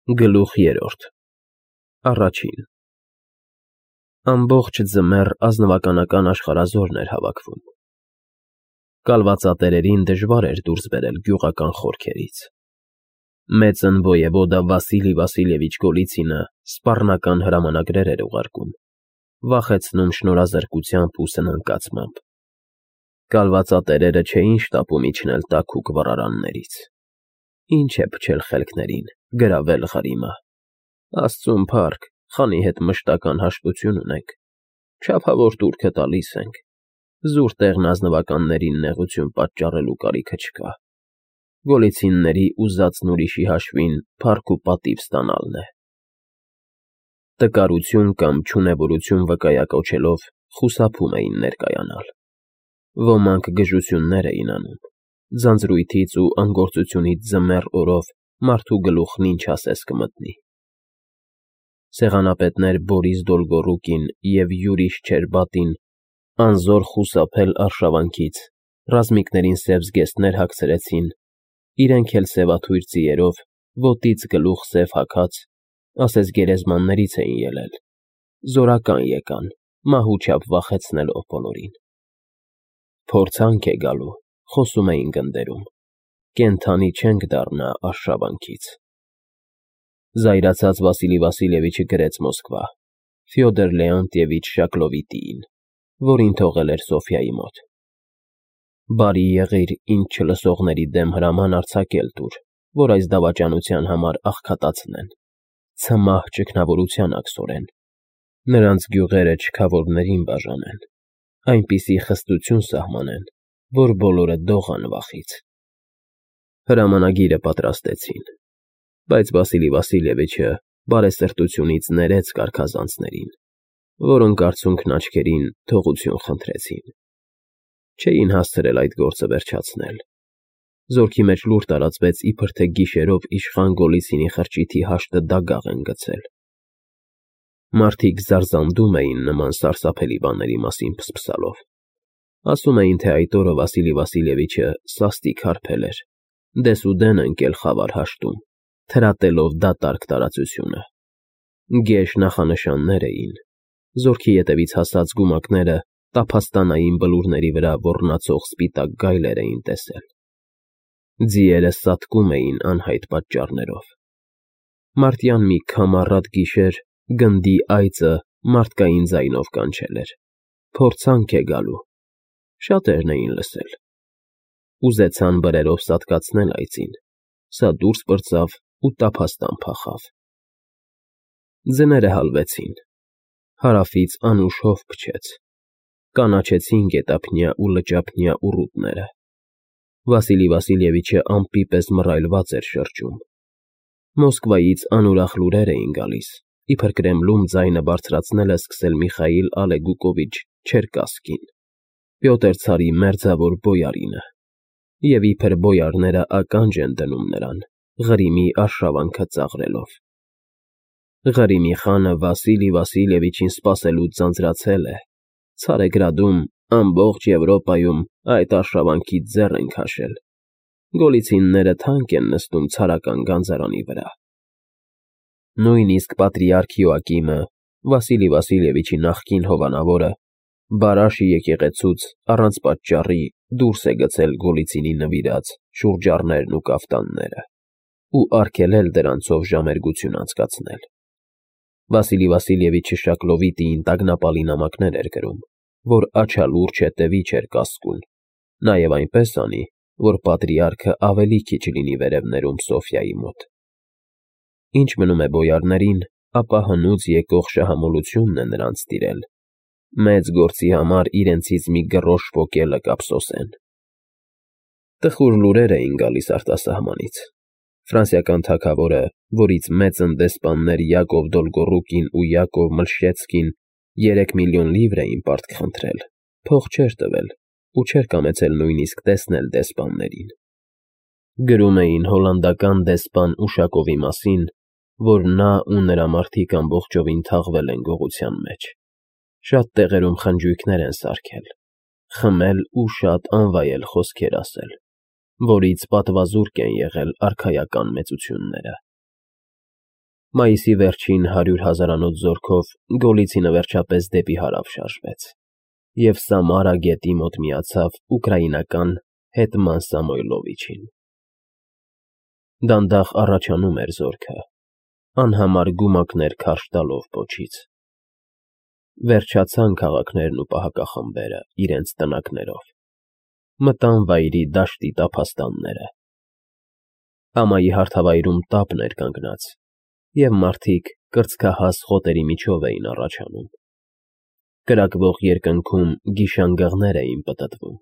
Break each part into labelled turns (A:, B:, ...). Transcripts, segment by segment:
A: Գլուխ 3 Առաջին Ամբողջ ձմեռ ազնվականական աշխարհազորն էր հավաքվում։ Կալվածատերերին դժվար էր դուրս բերել գյուղական խորքերից։ Մեծն ոևոդա Վասիլի Վասիլևիչ Գոլիցինը սպառնական հրամանագրեր էր ուղարկում, վախեցնում շնորհազրկությամբ ու սնանկացմամբ։ Կալվածատերերը չէին շտապում իջնել տաքուկ վառարաններից։ Ինչ է փչել խելքներին, գրավել Ղարիմը։ Աստծուն փառք, խանի հետ մշտական հաշտություն ունենք, չափավոր տուրքը տալիս ենք, զուր տեղն ազնվականներին նեղություն պատճառելու կարիքը չկա։ Գոլիցինների ուզածն ուրիշի հաշվին փառք ու պատիվ ստանալն է։ Տկարություն կամ չունևորություն վկայակոչելով խուսափում էին ներկայանալ։ Ոմանք գժություններ էին անում, ձանձրույթից ու անգործությունից ձմեռ օրով մարդու գլուխն ինչ ասես կմտնի։ Սեղանապետներ Բորիս Դոլգոռուկին և Յուրի Շչերբատին անզոր խուսափել արշավանքից, ռազմիկներին սև զգեստներ հագցրեցին, իրենք էլ սևաթույր ձիերով, ոտից գլուխ սև հագած, ասես գերեզմաններից էին ելել, զորական եկան, մահու չափ վախեցնելով բոլորին։ Փորձանք է գալու, խոսում էին գնդերում, կենդանի չենք դառնա արշավանքից։ Զայրացած Վասիլի Վասիլևիչը գրեց Մոսկվա, Ֆյոդոր Լեոնտիևիչ Շակլովիտիին, որին թողել էր Սոֆյայի մոտ։ Բարի եղիր ինձ չլսողների դեմ հրաման արձակել տուր, որ այս դավաճանության համար աղքատացնեն, ցմահ ճգնավորության աքսորեն, նրանց գյուղերը չքավորներին բաժանեն, այնպիսի խստություն սահմանեն, որ բոլորը դողան վախից։ Հրամանագիրը պատրաստեցին, բայց Վասիլի Վասիլևիչը բարեսրտությունից ներեց կարգազանցներին, որոնք արցունքն աչքերին թողություն խնդրեցին։ Չէին հասցրել այդ գործը վերջացնել։ Զորքի մեջ լուր տարածվեց, իբր թե գիշերով իշխան Գոլիցինի խրճիթի հաշտը դագաղ են գցել։ Մարդիկ զարզանդում էին նման սարսափելի բաների մասին փսփսալով։ Ասում էին, թե այդ օրը Վասիլի Վասիլևիչը սաստիկ հարբել էր, դեսուդեն ընկել խավար հաշտում, թրատելով դատարկ տարածությունը։ Գեշ նախանշաններ էին, զորքի ետևից հասած գումակները տափաստանային բլուրների վրա ոռնացող սպիտակ գայլեր էին տեսել։ Ձիերը սատկում էին անհայտ պատճառներով։ Մարտյան մի քամառատ գիշեր գնդի այծը մարդկային ձայնով կանչել էր. փորձանք է գալու։ Շատերն էին լսել։ Ուզեցան բրերով սատկացնել այծին, սա դուրս պրծավ ու տափաստան փախավ։ Ձները հալվեցին, հարավից անուշ հով փչեց, կանաչեցին գետափնյա ու լճափնյա ուռուտները։ Վասիլի Վասիլևիչը ամպի պես մռայլված էր շրջում։ Մոսկվայից անուրախ լուրեր էին գալիս, իբր Կրեմլում ձայնը բարձրացնել է սկսել Միխայիլ Ալեգուկովիչ Չերկասկին, Պյոտր ցարի մերձավոր բոյարինը, և իբր բոյարները ականջ են դնում նրան, Ղրիմի արշավանքը ծաղրելով։ Ղրիմի խանը Վասիլի Վասիլևիչին սպասելուց ձանձրացել է, Ցարեգրադում, ամբողջ Եվրոպայում այդ արշավանքից ձեռ են քաշել։ Գոլիցինները թանկ են նստում ցարական գանձարանի վրա։ Նույնիսկ պատրիարք Յոակիմը, Վասիլի Վասիլևիչի նախկին հովանավորը, Բարաշի եկեղեցուց առանց պատճառի դուրս է գցել Գոլիցինի նվիրած շուրջառներն ու կաֆտանները ու արգելել դրանցով ժամերգություն անցկացնել։ Վասիլի Վասիլևիչը Շակլովիտիին տագնապալի նամակներ էր գրում, որ աչալուրջ հետևի չէր կասկուն, նաև այնպես անի, որ պատրիարքը ավելի քիչ լինի վերևներում Սոֆյայի մոտ։ Ինչ մնում է բոյարներին, ապա հնուց եկող շահամոլությունն է նրանց տիրել, մեծ գործի համար իրենցից մի գրոշ պոկելը կափսոսեն։ Տխուր լուրեր էին գալիս արտասահմանից։ Ֆրանսիական թագավորը, որից մեծն դեսպաններ Յակով Դոլգոռուկին ու Յակով Մլշեցկին 3 միլիոն լիվր էին պարտք խնդրել, փող չէր տվել ու չէր կամեցել նույնիսկ տեսնել դեսպաններին։ Գրում էին հոլանդական դեսպան Ուշակովի մասին, որ նա ու նրա մարդիկ ամբողջովին թաղվել են գողության մեջ, շատ տեղերում խնջույքներ են սարքել, խմել ու շատ անվայել խոսքեր ասել, որից պատվազուրկ են եղել արքայական մեծությունները։ Մայիսի վերջին 100 հազարանոց զորքով Գոլիցինը վերջապես դեպի հարավ շարժվեց և Սամարա գետի մոտ միացավ ուկրաինական հետման Սամոյլովիչին։ Դանդաղ առաջանում էր զորքը, անհամար գումակներ քարշ տալով պոչից։ Վերջացան քաղաքներն ու պահակախմբերը իրենց տնակներով, մտան վայրի դաշտի տափաստանները։ Ամայի հարթավայրում տապն էր կանգնած, և մարդիկ կրծքահաս խոտերի միջով էին առաջանում։ Կրակվող երկնքում գիշանգղներ էին պտտվում,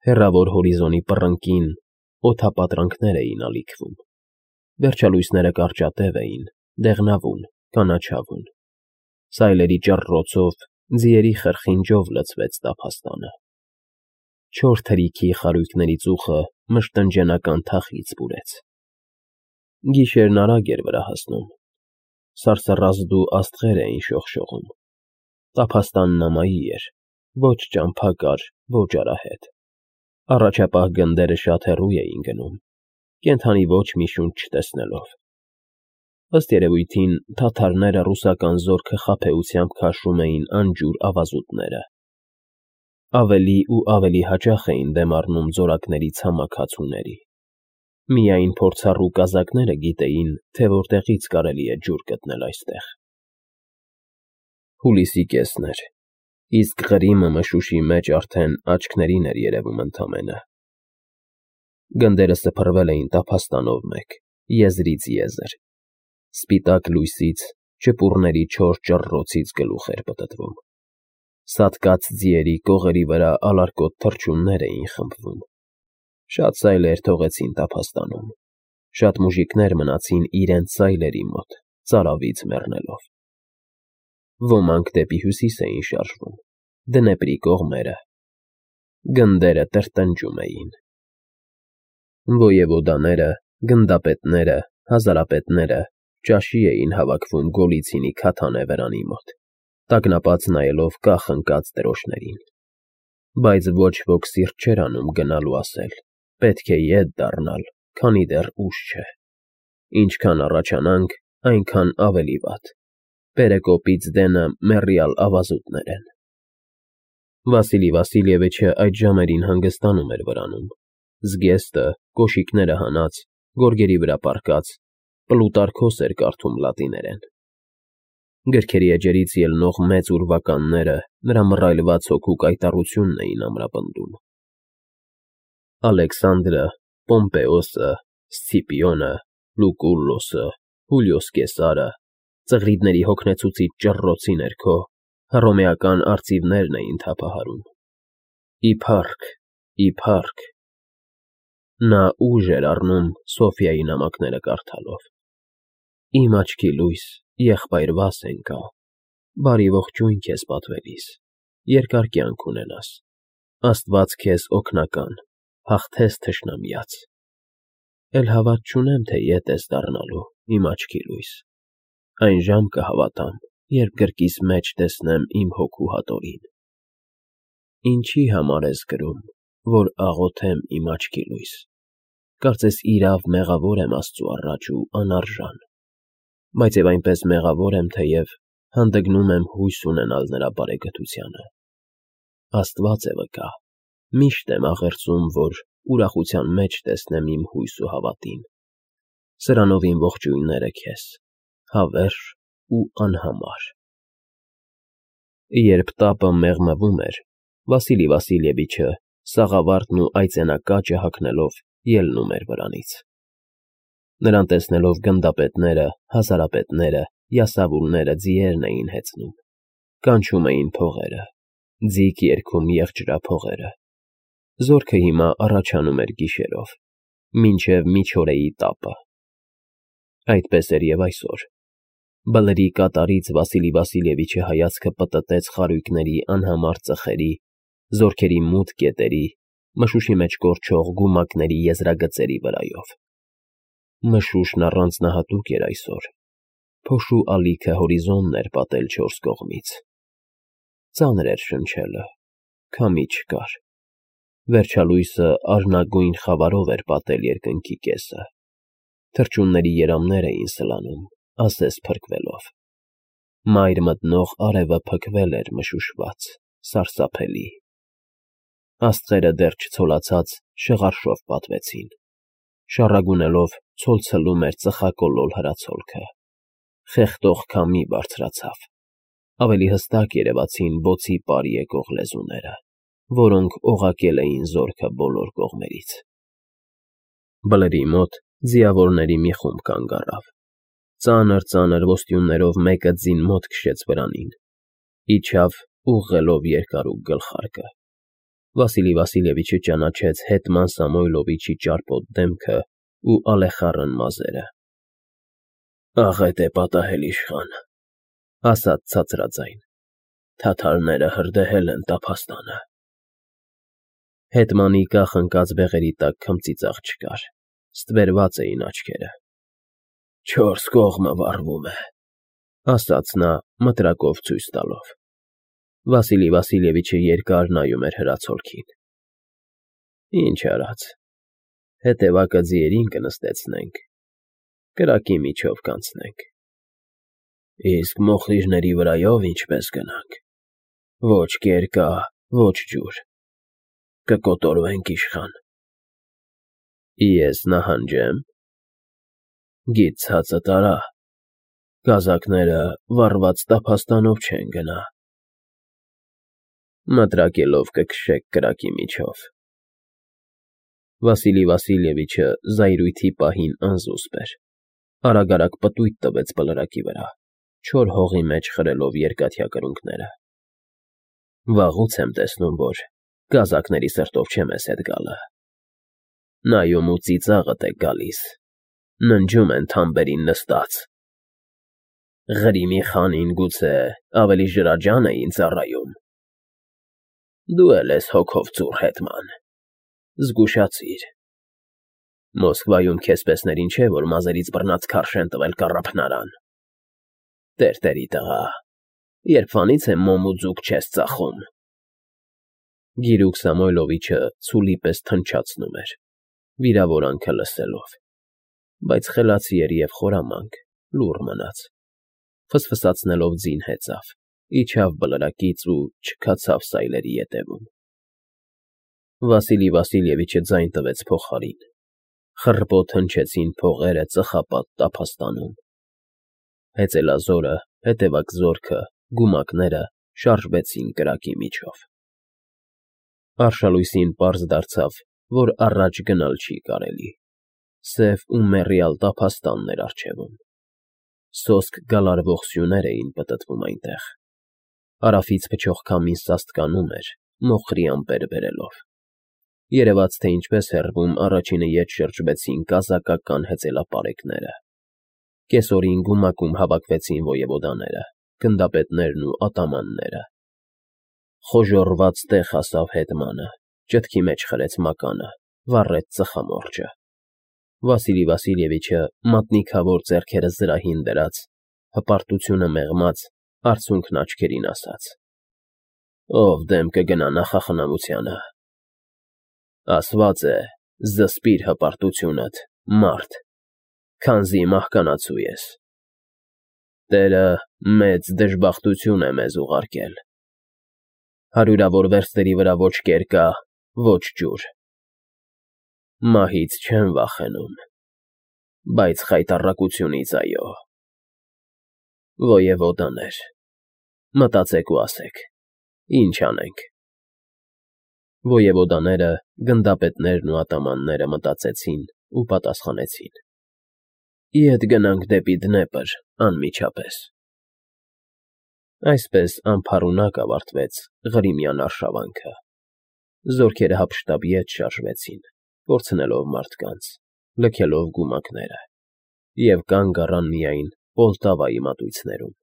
A: հեռավոր հորիզոնի պռնկին օդապատրանքներ էին ալիքվում, վերջալույսները կարճատև էին, դեղնավուն, կանաչավուն, սայլերի ճռռոցով, ձիերի խրխինջով լցվեց տափաստանը։ Չոր թրիքի խարույկների ծուխը մշտնջենական թախիծ բուրեց։ Գիշերն արագ էր վրա հասնում, սարսռազդու աստղեր էին շողշողում, տափաստանն ամայի էր, ոչ ճամփա կար, ոչ արահետ, առաջապահ գնդերը շատ հեռու էին գնում, կենդանի ոչ մի շունչ չտեսնելով։ Ըստ երևույթին թաթարները ռուսական զորքը խաբեությամբ քաշում էին անջուր ավազուտները։ Ավելի ու ավելի հաճախ էին դեմ առնում ձորակների ցամաք հացուների։ Միայն փորձառու կազակները գիտեին, թե որտեղից կարելի է ջուր գտնել այստեղ։ Հուլիսի կեսն էր, իսկ Ղրիմը մշուշի մեջ արդեն աչքներին էր երևում ընդամենը։ Գնդերը սփռվել էին տափաստանով մեկ, եզրից եզր։ Սպիտակ լույսից, ճպուռների չոր ճռռոցից գլուխ էր պտտվում։ Սատկած ձիերի կողերի վրա ալարկոտ թռչուններ էին խմբվում։ Շատ սայլեր թողեցին տափաստանում, շատ մուժիկներ մնացին իրենց սայլերի մոտ, ծարավից մեռնելով։ Ոմանք դեպի հյուսիս էին շարժվում, Դնեպրի կողմերը։ Գնդերը տրտնջում էին։ Ոյևոդաները, գնդապետները, հազարապետները ճաշի էին հավաքվում Գոլիցինի քաթանե վրանի մոտ, տագնապած նայելով կախ ընկած դրոշներին։ Բայց ոչ ոք սիրտ չէր անում գնալ ու ասել. պետք է ետ դառնալ, քանի դեռ ուշ չէ։ Ինչքան առաջանանք, այնքան ավելի վատ։ Պերեկոպից դենը մեռյալ ավազուտներ են։ Վասիլի Վասիլևիչը այդ ժամերին հանգստանում էր վրանում։ Զգեստը, կոշիկները հանած, գորգերի վրա պառկած, Պլուտարքոս էր կարդում լատիներեն։ Գրքերի էջերից ելնող մեծ ուրվականները նրա մռայլված հոգու կայտառությունն էին ամրապնդում։ Ալեքսանդրը, Պոմպեոսը, Սցիպիոնը, Լուկուլլոսը, Հուլիոս Կեսարը, ծղրիդների հոգնեցուցիչ ճռռոցի ներքո հռոմեական արծիվներն էին թափահարում։ Իփարք։ Նա ուժ էր առնում Սոֆիայի նամակները կարդալով։ Իմ աչքի լույս, եղբայր Վասենկա, բարի ողջույն քեզ պատվելիս, երկար կյանք ունենաս, Աստված քեզ օգնական, հաղթես թշնամյաց։ Էլ հավատ չունեմ, թե ետ ես դառնալու, իմ աչքի լույս, այն ժամ կհավատամ, երբ գրկիս մեջ տեսնեմ իմ հոգու հատորին։ Ինչի համար ես գրում, որ աղոթեմ իմ աչքի լույս, կարծես իրավ մեղավոր եմ Աստծու առաջ ու անարժան, բայց և այնպես մեղավոր եմ, թեև հանդգնում եմ հույս ունենալ նրա բարեգթությանը։ Աստված է վկա, միշտ եմ աղերծում, որ ուրախության մեջ տեսնեմ իմ հույս ու հավատին։ Սրանով իմ ողջույնները քեզ, հավերժ ու անհամար։ Երբ տապը մեղմվում էր, Վասիլի Վասիլևիչը, սաղավարտն ու այծենակաճը հագնելով, ելնում էր վրանից։ Նրան տեսնելով գնդապետները, հազարապետները, յասավուլները ձիերն էին հեծնում, կանչում էին փողերը, ձիգ երգում եղջրափողերը։ Զորքը հիմա առաջանում էր գիշերով, մինչև միջօրեի տապը։ Այդպես էր և այսօր։ Բլրի կատարից Վասիլի Վասիլևիչը հայացքը պտտեց խարույկների անհամար ծխերի, զորքերի մութ կետերի, մշուշի մեջ կորչող գումակների եզրագծերի վրայով։ Մշուշն առանձնահատուկ էր այսօր, փոշու ալիքը հորիզոնն էր պատել չորս կողմից։ Ծանր էր շնչելը, քամի չկար։ Վերջալույսը արհնագույն խավարով էր պատել երկնքի կեսը։ Թռչունների երամներ էին սլանում, ասես փրկվելով։ Մայր մտնող արևը փքվել էր մշուշված, սարսափելի։ Աստղերը դեռ չցոլացած շղարշով պատվեցին։ Շառագունելով ցոլցլում էր ծխակոլոր հրացոլքը։ Խեղդող քամի բարձրացավ։ Ավելի հստակ երևացին բոցի պար եկող լեզուները, որոնք օղակել էին զորքը բոլոր կողմերից։ Բլրի մոտ ձիավորների մի խումբ կանգ առավ։ Ծանր ոստյուններով մեկը ձին մոտ քշեց վրանին, իջավ ուղղելով երկարուկ գլխարկը։ Վասիլի Վասիլևիչը ճանաչեց հետման Սամոյլովիչի ճարպոտ դեմքը ու ալեխառն մազերը։ «Աղետ է պատահել իշխան», ասաց ցածրաձայն։ «Թաթարները հրդեհել են տափաստանը»։ Հետմանի կախ ընկած բեղերի տակ քմծիծաղ չկար, ստվերված էին աչքերը։ «Չորս կողմը վառվում է», ասաց նա մտրակով ցույց տալով։ Վասիլի Վասիլևիչը երկար նայում էր հրացոլքին։ «Ինչ արած, հետևակը ձիերին կնստեցնենք, կրակի միջով կանցնենք»։ «Իսկ մոխիրների վրայով ինչպես գնանք, ոչ կերկա, ոչ ջուր, կկոտորվենք իշխան»։ «Ես նահանջե՞մ»։ «Գիծ ցածը տարա, գազակները վառված տափաստանով չեն գնա»։ «Մտրակելով կքշեք կրակի միջով»։ Վասիլի Վասիլևիչը զայրույթի պահին անզուսպ էր, արագ պտույտ տվեց բլրակի վրա, չոր հողի մեջ խրելով երկաթյա կրունկները։ «Վաղուց եմ տեսնում, որ գազակների սրտով չեմ ես հետ գալը։ Նայում ու ծիծաղդ է գալիս, ննջում են թամբերին նստած։ Ղրիմի խանին գուցե ավելի ջրաջան էին ծառայում։ Դու էլ ես հոգով ծուռ հետման, զգուշացիր։ Մոսկվայում քեզպեսներին չէ, որ մազերից բռնած քարշ են տվել կառափնարան։ Տերտերի տղա, երբվանից է մոմ ու ձուկ չես ծախում»։ Գիրուկ Սամոյլովիչը ցուլի պես թնչացնում էր, վիրավորանքը լսելով, բայց խելացի էր և խորամանկ, լուռ մնաց։ Ֆսֆսացնելով ձին հեծավ, իջավ բլրակից ու չքացավ սայլերի ետևում։ Վասիլի Վասիլևիչը ձայն տվեց փողարին։ Խռպոտ հնչեցին փողերը ծխապատ տափաստանում։ Հեծելազորը, հետևակ զորքը, գումակները շարժվեցին կրակի միջով։ Արշալույսին պարզ դարձավ, որ առաջ գնալ չի կարելի։ Սև ու մեռյալ տափաստանն էր առջևում։ Սոսկ գալարվող սյուներ էին պտտվում այնտեղ։ Հարավից փչող քամին սաստկանում էր, մոխրի ամպեր բերելով։ Երևաց, թե ինչպես հեռվում առաջինը ետ շրջվեցին կազակական հեծելապարեկները։ Կեսօրին գումակում հավաքվեցին ոյևոդաները, գնդապետներն ու ատամանները։ Խոժոռված տեղ հասավ հետմանը, ճտքի մեջ խրեց մականը, վառեց ծխամորճը։ Վասիլի Վասիլևիչը մատնիքավոր ձեռքերը զրահին դրած, հպարտությունը մեղմած, արցունքն աչքերին ասաց. «Ով դեմ կգնա նախախնամությանը։ Ասված է, զսպիր հպարտությունդ, մարդ, քանզի մահկանացու ես։ Տերը մեծ դժբախտություն է մեզ ուղարկել։ Հարյուրավոր վերստերի վրա ոչ կերկա, ոչ ջուր։ Մահից չեմ վախենում, բայց խայտառակությունից՝ այո։ Ոյևոդաներ, մտածեք ու ասեք, ինչ անենք»։ Ոյևոդաները, գնդապետներն ու ատամանները մտածեցին ու պատասխանեցին. «Ետ գնանք դեպի Դնեպր անմիջապես»։ Այսպես անփառունակ ավարտվեց Ղրիմյան արշավանքը։ Զորքերը հափշտապ ետ շարժվեցին, կորցնելով մարդկանց, լքելով գումակները, և կանգ առան միայն Պոլտավայի մատույցներում։